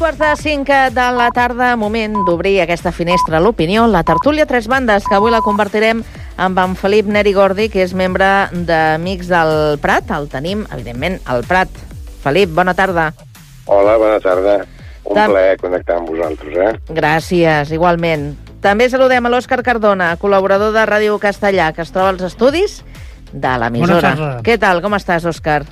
3:45 de la tarda, moment d'obrir aquesta finestra a l'opinió, la tertúlia Tres Bandes, que avui la compartirem amb en Felip Neri Gordi, que és membre d'Amics del Prat. El tenim, evidentment, al Prat. Felip, bona tarda. Hola, bona tarda. Un plaer connectar amb vosaltres, Gràcies, igualment. També saludem a l'Òscar Cardona, col·laborador de Ràdio Castellà, que es troba als estudis de l'emissora. Bona tarda. Què tal, com estàs, Òscar?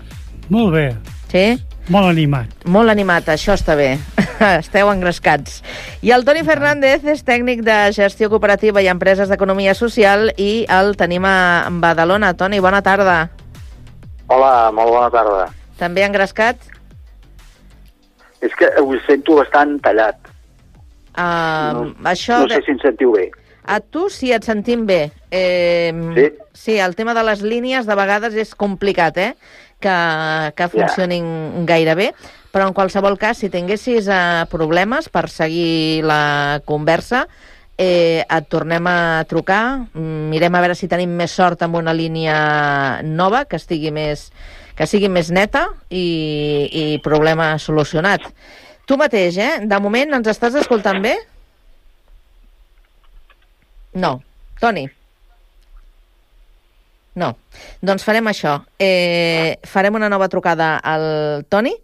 Molt bé. Sí? Molt animat. Molt animat, això està bé. Esteu engrescats. I el Toni Fernández és tècnic de gestió cooperativa i empreses d'economia social i el tenim a Badalona. Toni, bona tarda. Hola, molt bona tarda. També engrescat? És que ho sento bastant tallat. Això no sé si em sentiu bé. A tu sí et sentim bé. Sí? Sí, el tema de les línies de vegades és complicat, que funcionin gaire bé, però en qualsevol cas, si tinguessis problemes per seguir la conversa, et tornem a trucar, mirem a veure si tenim més sort amb una línia nova, que sigui més neta i problema solucionat. Tu mateix, de moment ens estàs escoltant bé? No. Toni? No. Doncs farem això. Farem una nova trucada al Toni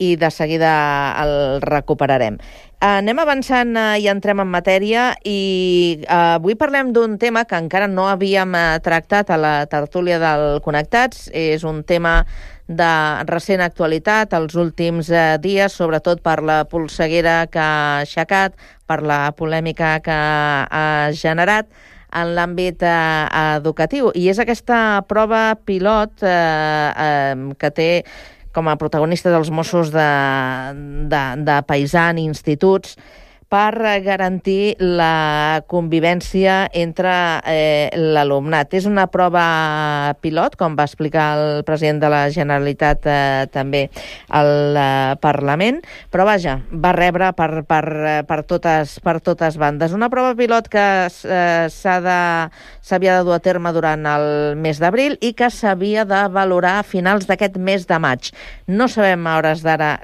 i de seguida el recuperarem. Anem avançant i entrem en matèria i avui parlem d'un tema que encara no havíem tractat a la tertúlia del Connectats. És un tema de recent actualitat els últims dies, sobretot per la polseguera que ha aixecat, per la polèmica que ha generat en l'àmbit educatiu. I és aquesta prova pilot que té com a protagonistes els Mossos de paisà en instituts per garantir la convivència entre l'alumnat. És una prova pilot, com va explicar el president de la Generalitat també al Parlament, però vaja, va rebre per totes bandes. Una prova pilot que s'havia de dur a terme durant el mes d'abril i que s'havia de valorar a finals d'aquest mes de maig. No sabem a hores d'ara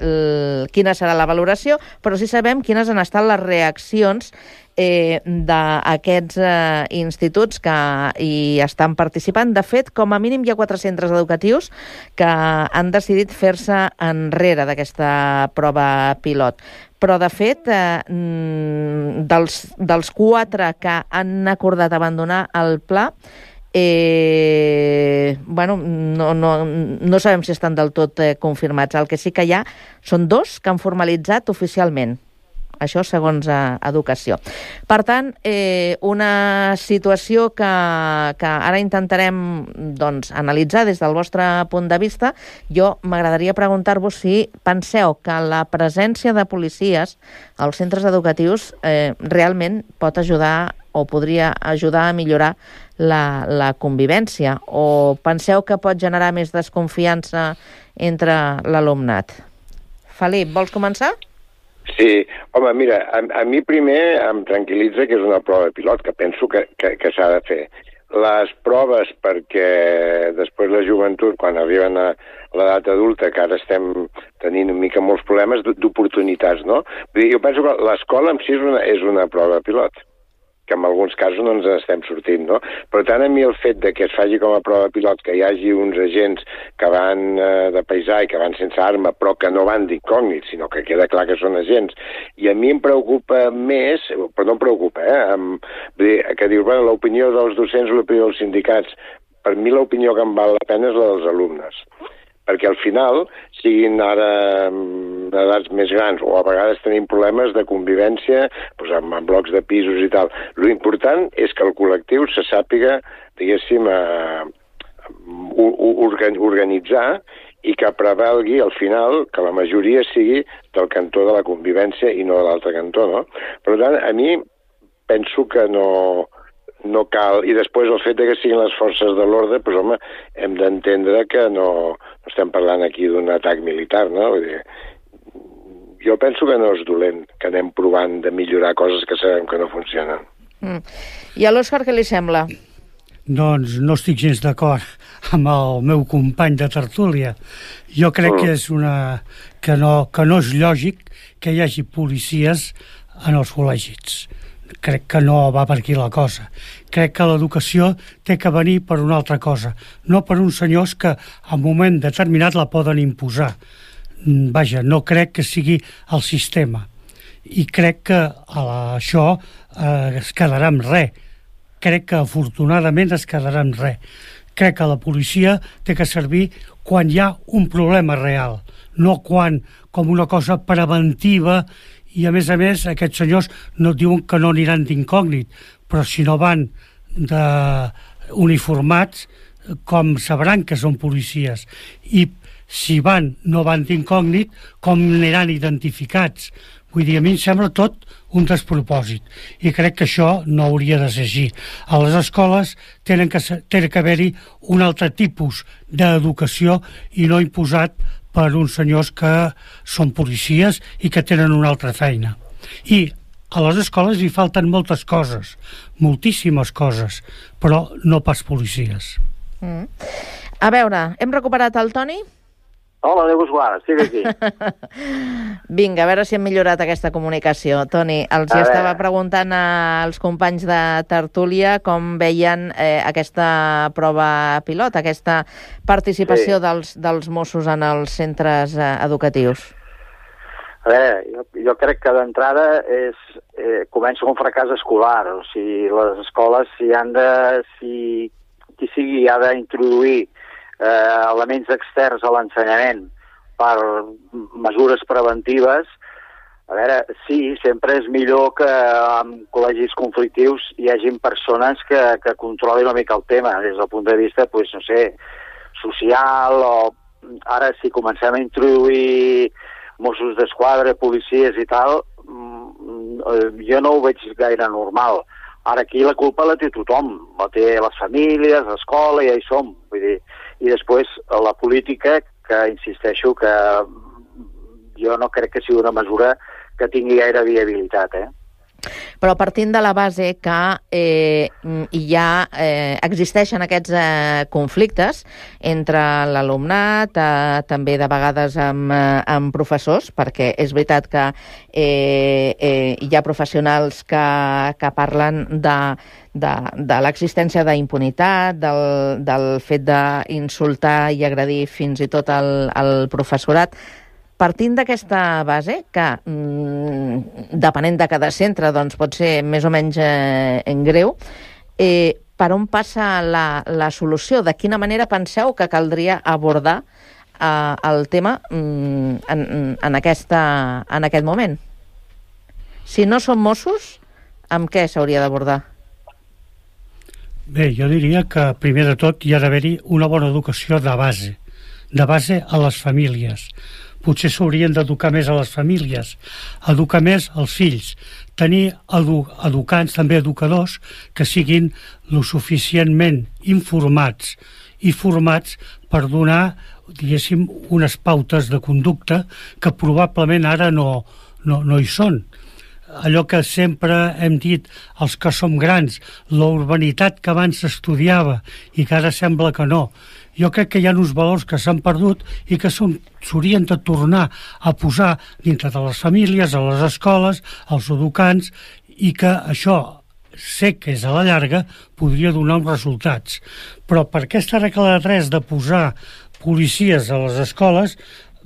quina serà la valoració, però sí sabem quines han estat les reaccions d'aquests instituts que hi estan participant. De fet, com a mínim hi ha 4 centres educatius que han decidit fer-se enrere d'aquesta prova pilot. Però, de fet, dels 4 que han acordat abandonar el pla, no sabem si estan del tot confirmats. El que sí que hi ha són 2 que han formalitzat oficialment. Això segons Educació. Per tant, una situació que ara intentarem analitzar des del vostre punt de vista. Jo m'agradaria preguntar-vos si penseu que la presència de policies als centres educatius realment pot ajudar o podria ajudar a millorar la convivència, o penseu que pot generar més desconfiança entre l'alumnat? Felip, vols començar? Sí, home, mira, a mi primer em tranquil·litza que és una prova pilot, que penso que s'ha de fer. Les proves perquè després la joventut, quan arriben a l'edat adulta, que ara estem tenint una mica molts problemes d'oportunitats, no? Vull dir, jo penso que l'escola en si és una prova pilot, que en alguns casos no ens estem sortint, no? Per tant, a mi el fet de que es faci com a prova pilot, que hi hagi uns agents que van de paisà i que van sense arma, però que no van d'incògnit, sinó que queda clar que són agents. I a mi em preocupa més, però no em preocupa, vull dir, que dius, bueno, l'opinió dels docents o l'opinió dels sindicats. Per mi l'opinió que em val la pena és la dels alumnes. Perquè al final, siguin ara d'edats més grans o a vegades tenim problemes de convivència amb blocs de pisos i tal. L'important és que el col·lectiu se sàpiga, diguéssim, organitzar i que prevalgui al final que la majoria sigui del cantó de la convivència i no de l'altre cantó, no? Per tant, a mi penso que no cal, i després el fet que siguin les forces de l'ordre, doncs home, hem d'entendre que no estem parlant aquí d'un atac militar, no? Vull dir, jo penso que no és dolent, que anem provant de millorar coses que sabem que no funcionen. I a l'Òscar què li sembla? doncs no estic gens d'acord amb el meu company de tertúlia. Jo crec que és que no és lògic que hi hagi policies en els col·legis. Crec que no va per aquí la cosa. Crec que l'educació té que venir per una altra cosa, no per uns senyors que en un moment determinat la poden imposar. Vaja, no crec que sigui el sistema. I crec que això es quedarà amb res. Crec que afortunadament es quedarà amb res. Crec que la policia té que servir quan hi ha un problema real, no quan com una cosa preventiva. I, a més, aquests senyors no diuen que no aniran d'incògnit, però si no van uniformats, com sabran que són policies? I si no van d'incògnit, com aniran identificats? Vull dir, a mi em sembla tot un despropòsit. I crec que això no hauria de ser així. A les escoles té que haver-hi un altre tipus d'educació i no imposat per uns senyors que són policies i que tenen una altra feina. I a les escoles hi falten moltes coses, moltíssimes coses, però no pas policies. A veure, hem recuperat el Toni? Hola, Déu vos guarda, estic aquí. Vinga, a veure si hem millorat aquesta comunicació. Toni, els estava preguntant als companys de tertúlia com veien aquesta prova pilot, aquesta participació dels Mossos en els centres educatius. A veure, jo crec que d'entrada comença un fracàs escolar. O sigui, les escoles, qui sigui ha d'introduir elements externs a l'ensenyament per mesures preventives. A veure, sí, sempre és millor que en col·legis conflictius hi hagin persones que controlin una mica el tema des del punt de vista, no sé, social, o ara si comencem a introduir Mossos d'Esquadra, policies i tal, jo no ho veig gaire normal. Ara aquí la culpa la té tothom, la té les famílies, l'escola, ja hi som, vull dir. I després la política, que insisteixo que jo no crec que sigui una mesura que tingui gaire viabilitat, Però partint de la base que ja existeixen aquests conflictes entre l'alumnat, també de vegades amb professors, perquè és veritat que hi ha professionals que parlen de l'existència d'impunitat, del fet d'insultar i agredir fins i tot el professorat. Partint d'aquesta base, que depenent de cada centre doncs pot ser més o menys greu, per on passa la solució? De quina manera penseu que caldria abordar el tema en aquest moment? Si no són Mossos, amb què s'hauria d'abordar? Bé, jo diria que primer de tot hi ha d'haver-hi una bona educació de base a les famílies. Potser s'haurien d'educar més a les famílies, educar més als fills, tenir educants, també educadors, que siguin lo suficientment informats i formats per donar, diguéssim, unes pautes de conducta que probablement ara no hi són. Allò que sempre hem dit els que som grans, la urbanitat que abans s'estudiava i que ara sembla que no. Jo crec que hi ha uns valors que s'han perdut i que s'haurien de tornar a posar dintre de les famílies, a les escoles, als educants, i que això, sé que és a la llarga, podria donar uns resultats. Però per aquesta regla de 3 de posar policies a les escoles,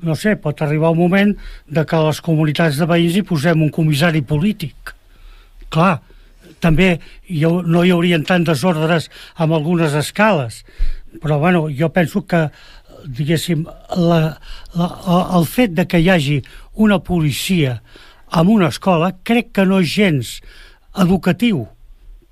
no sé, pot arribar un moment de que a les comunitats de veïns hi posem un comissari polític. Clar, també no hi haurien tant desordres amb algunes escales, però bueno, jo penso que, diguéssim, el fet de que hi hagi una policia en una escola crec que no és gens educatiu.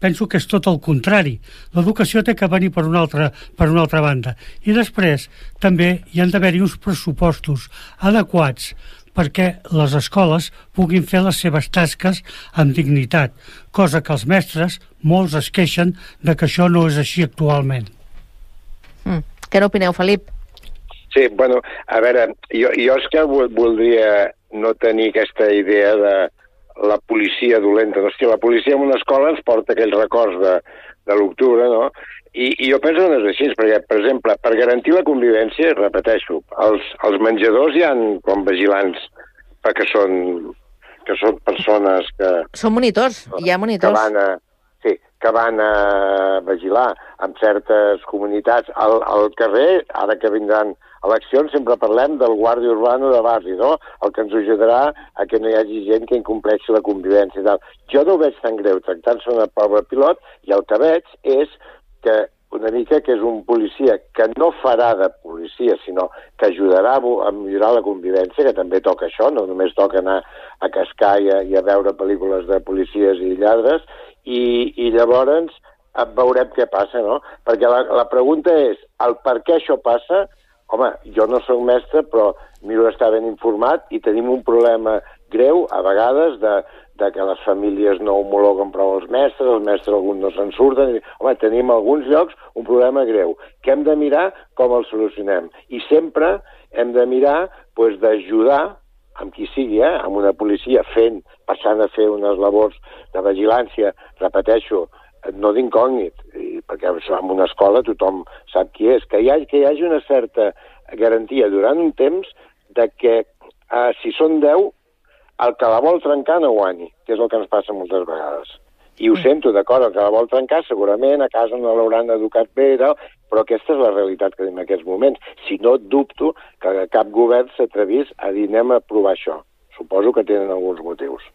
Penso que és tot el contrari. L'educació té que venir per una altra banda. I després també hi han d'haver-hi uns pressupostos adequats perquè les escoles puguin fer les seves tasques amb dignitat, cosa que els mestres, molts es queixen de que això no és així actualment. Què n'opineu, Felip? Sí, bueno, a veure, jo és que voldria no tenir aquesta idea de la policia dolenta. Hòstia, la policia en una escola ens porta aquells records de l'octubre, no? I jo penso que no és així, perquè, per exemple, per garantir la convivència, repeteixo, els menjadors hi ha com vigilants, perquè són persones que... Són monitors, hi ha monitors. Que van a vigilar en certes comunitats. Al carrer, ara que vindran eleccions, sempre parlem del guàrdia urbano de barri, no? El que ens ajudarà a que no hi hagi gent que incompleixi la convivència i tal. Jo no ho veig tan greu tractant-se una prova pilot, i el que veig és que una mica que és un policia que no farà de policia, sinó que ajudarà a millorar la convivència, que també toca això, no només toca anar a cascar i a veure pel·lícules de policies i lladres, i llavors veurem què passa, no? Perquè la pregunta és, el per què això passa? Home, jo no soc mestre, però miro d'estar ben informat i tenim un problema greu, a vegades, de que les famílies no homologuen prou els mestres alguns no se'n surten. Home, tenim a alguns llocs un problema greu, que hem de mirar com el solucionem. I sempre hem de mirar d'ajudar amb qui sigui, amb una policia passant a fer unes labors de vigilància, repeteixo, no d'incògnit, perquè en una escola tothom sap qui és, que hi hagi una certa garantia durant un temps de que si són 10, el que la vol trencar no guanyi, que és el que ens passa moltes vegades. I ho sento, d'acord, el que la vol trencar segurament a casa no l'hauran educat bé, però aquesta és la realitat que tenim en aquests moments. Si no, dubto que cap govern s'atrevís a dir anem a provar això. Suposo que tenen alguns motius.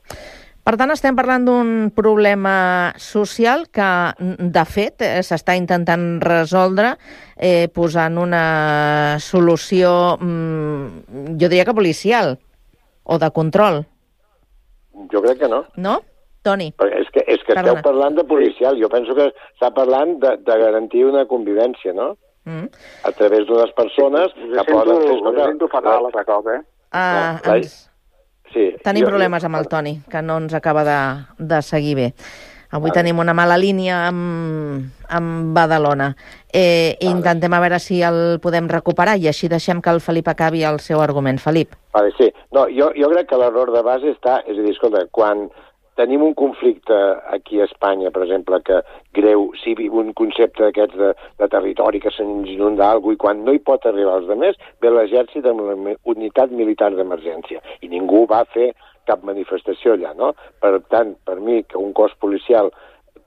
Per tant, estem parlant d'un problema social que, de fet, s'està intentant resoldre posant una solució, jo diria que policial, o de control. Jo crec que no. No? Toni? És que esteu parlant de policial. Jo penso que està parlant de garantir una convivència, no? A través d'unes persones que poden fer... Ho sento fatal, altre cop, Tenim problemes amb el Toni, que no ens acaba de seguir bé. Avui tenim una mala línia amb Badalona. Intentem a veure si el podem recuperar i així deixem que el Felip acabi el seu argument. Felip. Sí. No, jo crec que l'error de base està... És a dir, escolta, quan tenim un conflicte aquí a Espanya, per exemple, que greu, si un concepte d'aquests de territori que se'ns inunda alguna cosa, i quan no hi pot arribar als altres, ve l'exèrcit amb la unitat militar d'emergència. I ningú va fer cap manifestació allà, no? Per tant, per mi, que un cos policial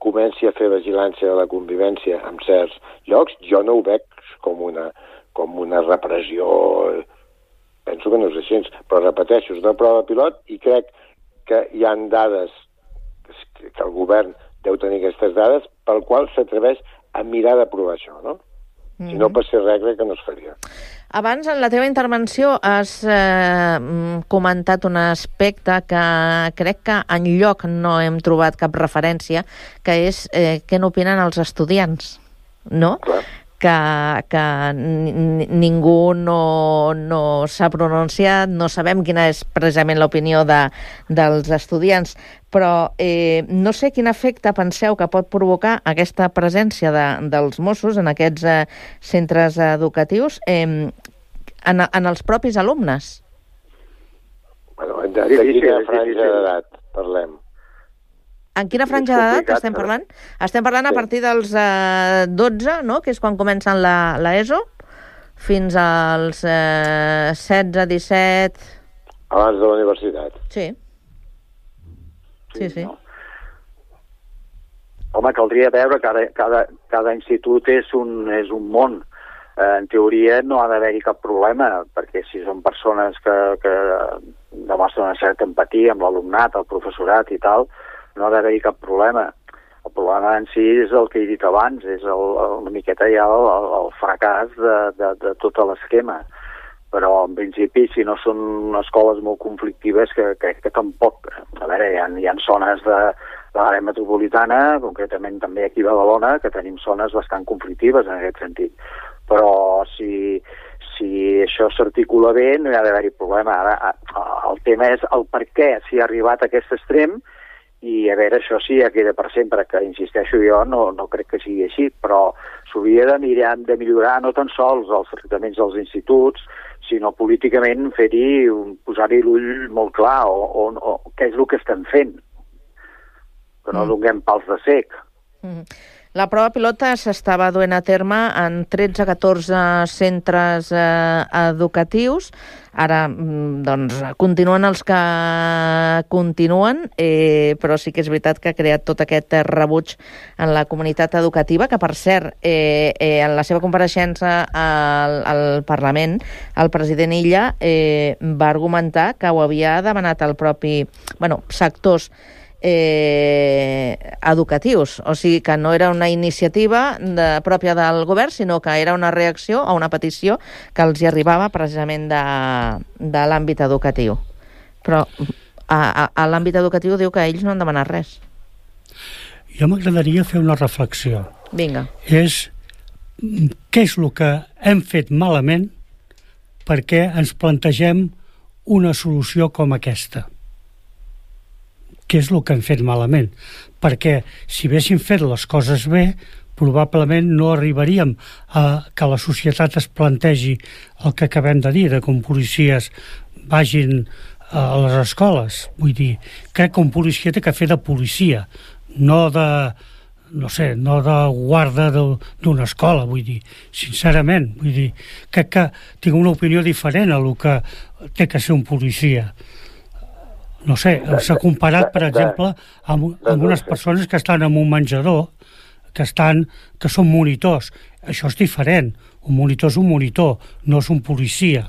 comenci a fer vigilància de la convivència en certs llocs, jo no ho veig com una repressió. Penso que no és així, però repeteixo, és una prova pilot i crec que hi ha dades, que el govern deu tenir aquestes dades, pel qual s'atreveix a mirar de provar això, no? Si no passés res, crec que no es faria. Abans, en la teva intervenció, has comentat un aspecte que crec que enlloc no hem trobat cap referència, que és què n'opinen els estudiants, no? Clar. Que ningú no s'ha pronunciat, no sabem quina és precisament l'opinió dels estudiants, però no sé quin efecte penseu que pot provocar aquesta presència dels Mossos en aquests centres educatius en els propis alumnes. Bueno, de quina franja d'edat parlem? En quina franja d'edat estem parlant? Estem parlant a partir dels 12, no?, que és quan comencen l'ESO, fins als 16, 17... Abans de la universitat. Sí. No? Home, caldria veure que cada institut és un món. En teoria no ha d'haver-hi cap problema, perquè si són persones que demostren una certa empatia amb l'alumnat, el professorat i tal, no ha d'haver-hi cap problema. El problema en si és el que he dit abans, és una miqueta ja el fracàs de tot l'esquema. Però, en principi, si no són escoles molt conflictives, crec que tampoc... A veure, hi ha zones de l'àrea metropolitana, concretament també aquí a Badalona, que tenim zones bastant conflictives en aquest sentit. Però si això s'articula bé, no hi ha d'haver-hi problema. Ara, el tema és el per què s'hi ha arribat a aquest extrem, i a veure, això sí ja queda per sempre, que insisteixo jo, no crec que sigui així, però s'hauria de millorar no tan sols els tractaments dels instituts, sinó políticament posar-hi l'ull molt clar, o què és el que estem fent, que no donem pals de cec. La prova pilota s'estava duent a terme en 13-14 centres educatius. Ara, doncs, continuen els que continuen, però sí que és veritat que ha creat tot aquest rebuig en la comunitat educativa, que, per cert, en la seva compareixença al Parlament, el president Illa va argumentar que ho havia demanat el propi, sectors educatius, o sigui que no era una iniciativa pròpia del govern, sinó que era una reacció a una petició que els hi arribava precisament de l'àmbit educatiu. Però a l'àmbit educatiu diu que ells no han demanat res. Jo m'agradaria fer una reflexió. Vinga. És què és el que hem fet malament perquè ens plantegem una solució com aquesta. Què és el que hem fet malament? Perquè si haguéssim fet les coses bé, probablement no arribaríem a que la societat es plantegi el que acabem de dir, de com policies vagin a les escoles. Vull dir, crec que un policia té que fer de policia, no de guarda d'una escola, vull dir, sincerament. Vull dir, crec que tinc una opinió diferent a el que té que ser un policia. No sé, s'ha comparat, per exemple, amb unes persones que estan en un menjador, que són monitors. Això és diferent. Un monitor és un monitor, no és un policia.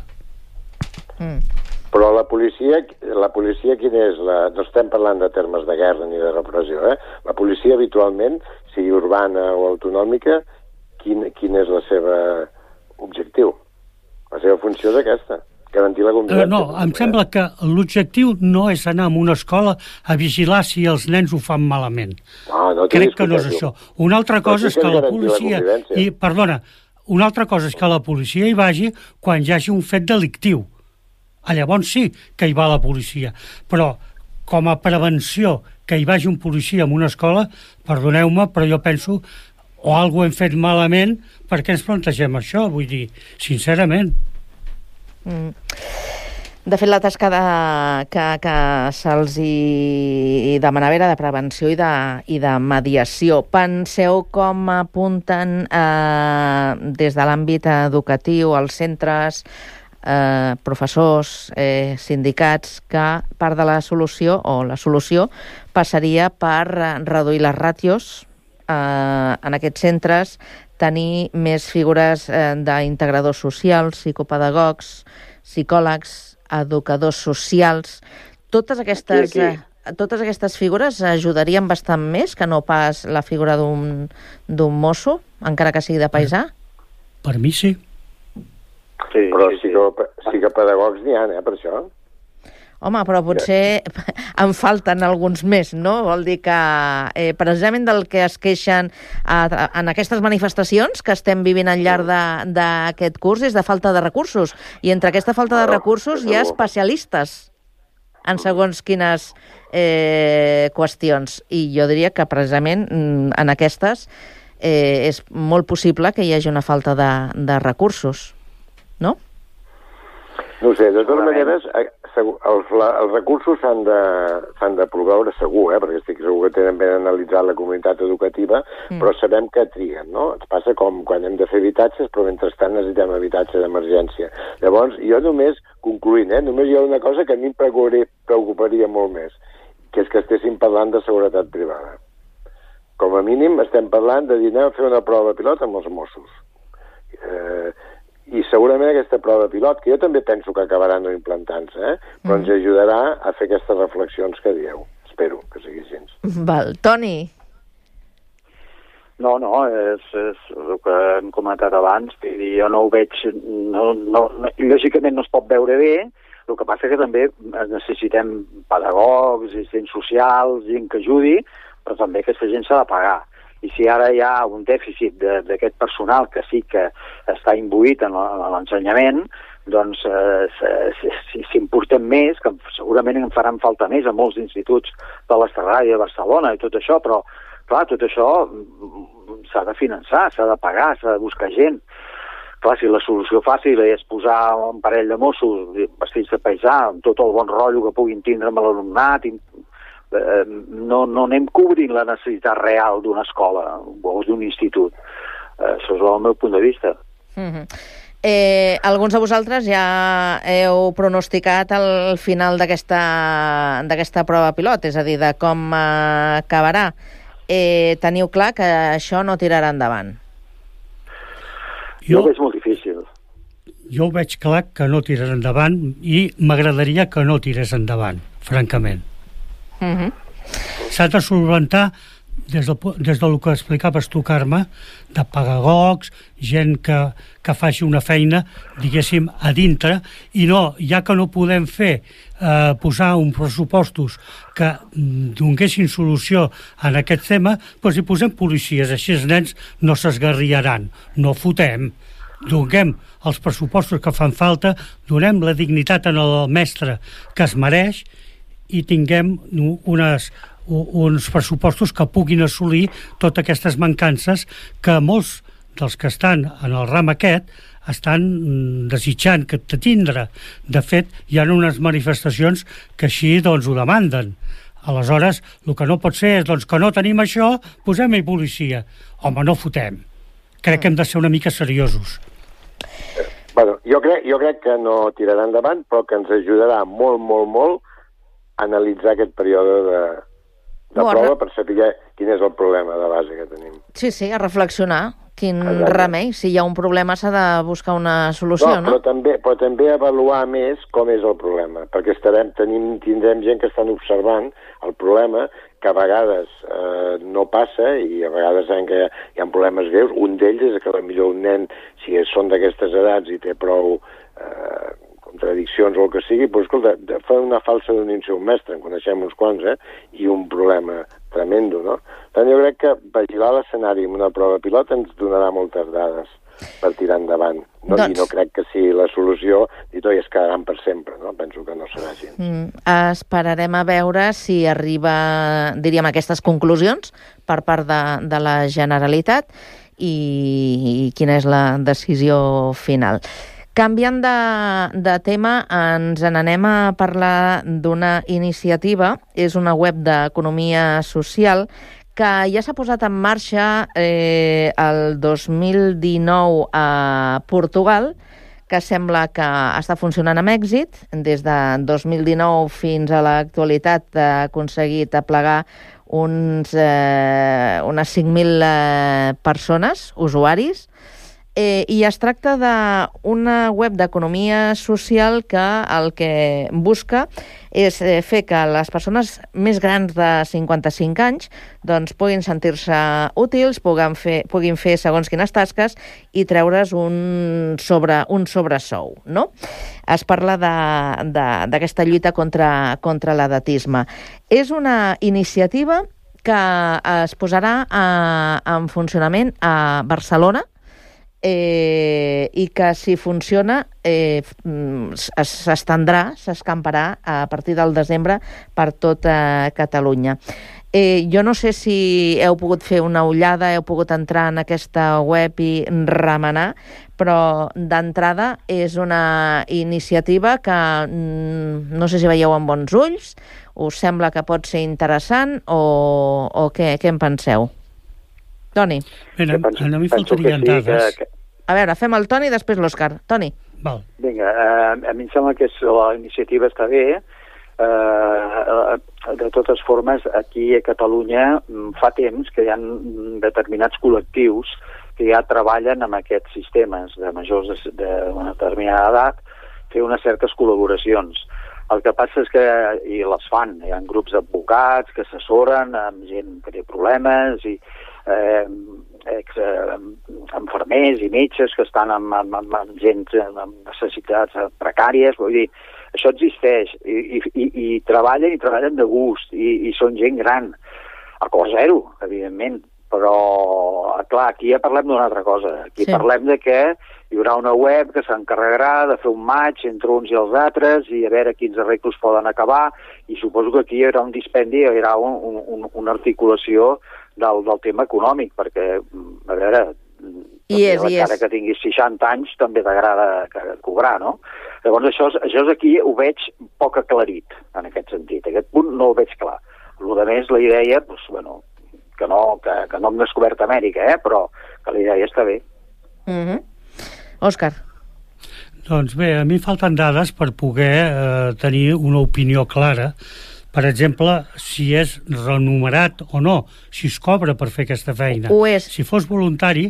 Però la policia quina és? No estem parlant de termes de guerra ni de repressió, eh? La policia habitualment, sigui urbana o autonòmica, quin és el seu objectiu? La seva funció és aquesta. Garantir la convivència. No, em sembla que l'objectiu no és anar a una escola a vigilar si els nens ho fan malament. No crec que no és això. Una altra cosa és que la policia... una altra cosa és que la policia hi vagi quan hi hagi un fet delictiu. Llavors sí que hi va la policia. Però com a prevenció que hi vagi un policia en una escola, perdoneu-me, però jo penso o alguna cosa hem fet malament perquè ens plantegem això, vull dir, sincerament. De fet, la tasca que se'ls hi demanava era de prevenció i de mediació. Penseu com apunten des de l'àmbit educatiu, els centres, professors, sindicats, que part de la solució, passaria per reduir les ràtios en aquests centres, tenir més figures d'integradors socials, psicopedagogs, psicòlegs, educadors socials. Totes aquestes figures ajudarien bastant més que no pas la figura d'un mosso, encara que sigui de paisà? Per mi sí. Però psicopedagogs n'hi ha, per això. Home, però potser en falten alguns més, no? Vol dir que precisament del que es queixen en aquestes manifestacions que estem vivint al llarg d'aquest curs és de falta de recursos. I entre aquesta falta de recursos hi ha especialistes en segons quines qüestions. I jo diria que precisament en aquestes és molt possible que hi hagi una falta de recursos, no? No ho sé, de totes maneres, els recursos s'han de proveure segur, perquè estic segur que tenen ben analitzat la comunitat educativa, però sabem que triguen, no? Ens passa com quan hem de fer habitatges, però mentrestant necessitem habitatge d'emergència. Llavors, jo només, concloent, només hi ha una cosa que a mi em preocuparia molt més, que és que estéssim parlant de seguretat privada. Com a mínim estem parlant de dir anem a fer una prova pilot amb els Mossos. I segurament aquesta prova pilot, que jo també penso que acabarà no implantant-se, però ens ajudarà a fer aquestes reflexions que dieu. Espero que sigui així. Val. Toni? No, és el que hem comentat abans. Jo no ho veig... Lògicament no es pot veure bé. El que passa que també necessitem pedagogs, assistents socials, gent que ajudi, però també aquesta gent s'ha de pagar. I si ara hi ha un dèficit d'aquest personal que sí que està imbuït en l'ensenyament, doncs si en portem més, que segurament en faran falta més a molts instituts de l'Estarrà i de Barcelona i tot això, però clar, tot això s'ha de finançar, s'ha de pagar, s'ha de buscar gent. Clar, si la solució fàcil és posar un parell de Mossos vestits de paisà, amb tot el bon rotllo que puguin tindre amb l'alumnat, no anem cobrint la necessitat real d'una escola o d'un institut. Això és el meu punt de vista. Alguns de vosaltres ja heu pronosticat el final d'aquesta prova pilot, és a dir, de com acabarà. Teniu clar que això no tirarà endavant? Jo ho veig molt difícil. Jo ho veig clar que no tirarà endavant i m'agradaria que no tirés endavant, francament. S'ha de solventar des del que explicaves tu, Carme, de pedagogs, gent que faci una feina, diguéssim, a dintre, i no, ja que no podem fer posar uns pressupostos que donguessin solució en aquest tema, doncs hi posem policies, així els nens no s'esgarriaran, no fotem, donem els pressupostos que fan falta, donem la dignitat al mestre que es mereix i tinguem uns pressupostos que puguin assolir totes aquestes mancances que molts dels que estan en el ram aquest estan desitjant que tindre. De fet, hi ha unes manifestacions que així doncs ho demanden. Aleshores, el que no pot ser és doncs, que no tenim això, posem-hi policia. Home, no fotem. Crec que hem de ser una mica seriosos. Bueno, jo crec que no tirarà endavant, però que ens ajudarà molt, molt, molt a analitzar aquest període de prova per saber quin és el problema de base que tenim. Sí, a reflexionar. Quin remei. Si hi ha un problema s'ha de buscar una solució, no? Però també avaluar més com és el problema, perquè tindrem gent que estan observant el problema, que a vegades no passa i a vegades saben que hi ha problemes greus. Un d'ells és que potser un nen, si són d'aquestes edats i té prou contradiccions o el que sigui, doncs, escolta, fa una falsa denúncia a un mestre, en coneixem uns quants, i un problema tremendo, no? Tant jo crec que vigilar l'escenari amb una prova pilot ens donarà moltes dades per tirar endavant. No? I no crec que sigui la solució i tot i es quedaran per sempre, no? Penso que no serà així. Esperarem a veure si arriba, diríem, a aquestes conclusions per part de la Generalitat i quina és la decisió final. Canviant de tema, ens n'anem a parlar d'una iniciativa. És una web d'economia social que ja s'ha posat en marxa el 2019 a Portugal, que sembla que està funcionant amb èxit. Des de 2019 fins a l'actualitat ha aconseguit aplegar unes 5.000 persones, usuaris, i es tracta d'una web d'economia social que el que busca és fer que les persones més grans de 55 anys doncs, puguin sentir-se útils, puguin fer segons quines tasques i treure's un sobresou, no? Es parla d'aquesta lluita contra l'edatisme. És una iniciativa que es posarà en funcionament a Barcelona, i que si funciona s'escamparà a partir del desembre per tota Catalunya. Jo no sé si heu pogut fer una ullada, heu pogut entrar en aquesta web i remenar, però d'entrada és una iniciativa que no sé si veieu amb bons ulls, us sembla que pot ser interessant o què en penseu? Toni. A mi faltarien dades. A veure, fem el Toni i després l'Òscar. Toni. Val. Vinga, a mi em sembla que la iniciativa està bé. De totes formes, aquí a Catalunya fa temps que hi ha determinats col·lectius que ja treballen amb aquests sistemes de majors d'una determinada edat, fer unes certes col·laboracions. El que passa és que, i les fan, hi ha grups d'advocats que assessoren amb gent que té problemes i infermers i metges que estan amb gent amb necessitats precàries, vull dir, això existeix i treballen de gust i són gent gran, a cost zero, evidentment, però clar, aquí ja parlem d'una altra cosa, aquí parlem de que hi haurà una web que s'encarregarà de fer un match entre uns i els altres i a veure quins arreglos poden acabar i suposo que aquí hi haurà un dispendi, hi haurà una articulació del tema econòmic, perquè, a veure, encara que tinguis 60 anys també t'agrada cobrar, no? Llavors això aquí ho veig poc aclarit, en aquest sentit. Aquest punt no el veig clar. El que més, la idea, doncs, bueno, que no hem descobert Amèrica, però que la idea està bé. Òscar. Doncs bé, a mi falten dades per poder tenir una opinió clara. Per exemple, si és remunerat o no, si es cobra per fer aquesta feina. Ho és. Si fos voluntari,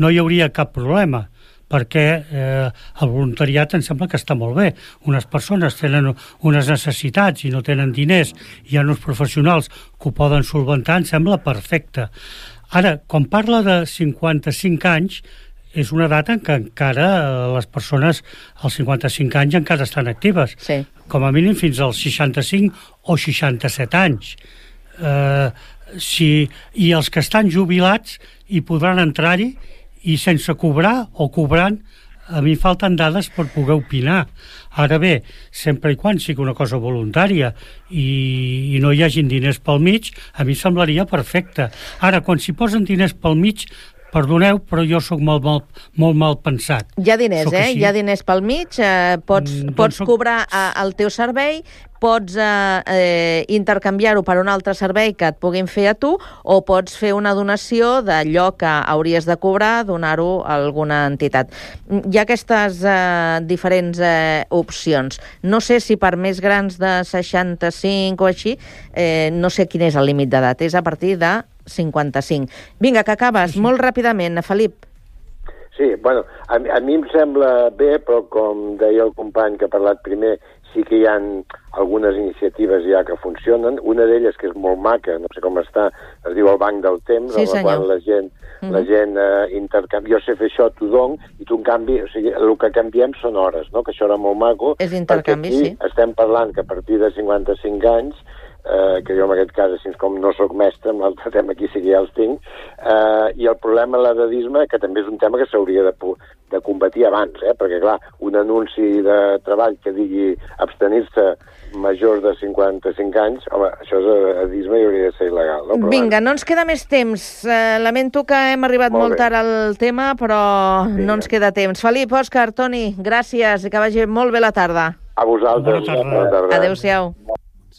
no hi hauria cap problema, perquè el voluntariat em sembla que està molt bé. Unes persones tenen unes necessitats i no tenen diners, hi ha uns professionals que ho poden solventar, em sembla perfecte. Ara, quan parla de 55 anys, és una data en què encara les persones als 55 anys encara estan actives. Sí. Com a mínim fins als 65 o 67 anys. I els que estan jubilats hi podran entrar-hi i sense cobrar o cobrant, a mi falten dades per poder opinar. Ara bé, sempre i quan sigui una cosa voluntària i no hi hagin diners pel mig, a mi semblaria perfecte. Ara, quan s'hi posen diners pel mig, perdoneu, però jo sóc molt mal pensat. Hi ha diners, Hi ha diners pel mig, pots cobrar el teu servei, pots intercanviar-ho per un altre servei que et puguin fer a tu, o pots fer una donació d'allò que hauries de cobrar, donar-ho a alguna entitat. Hi ha aquestes diferents opcions. No sé si per més grans de 65 o així, no sé quin és el límit d'edat, és a partir de 55. Vinga, que acabes, molt ràpidament, Felip. Sí, bueno, a mi em sembla bé, però com deia el company que ha parlat primer, sí que hi ha algunes iniciatives ja que funcionen. Una d'elles, que és molt maca, no sé com està, es diu el Banc del Temps, sí, en quan la gent intercanvia. Jo sé fer això, t'ho dono, i tu en canvi, o sigui, el que canviem són hores, no? Que això era molt maco. És intercanvi, sí. Estem parlant que a partir de 55 anys que jo en aquest cas, així com no sóc mestre, en l'altre tema aquí sí que ja els tinc, i el problema de l'edadisme, que també és un tema que s'hauria de combatir abans, perquè clar, un anunci de treball que digui abstenir-se majors de 55 anys, home, això és edadisme i hauria de ser il·legal, no? Però vinga, no ens queda més temps. Lamento que hem arribat molt tard al tema, però no ens queda temps. Felip, Òscar, Toni, gràcies i que vagi molt bé la tarda. A vosaltres. Bona tarda. Adéu-siau.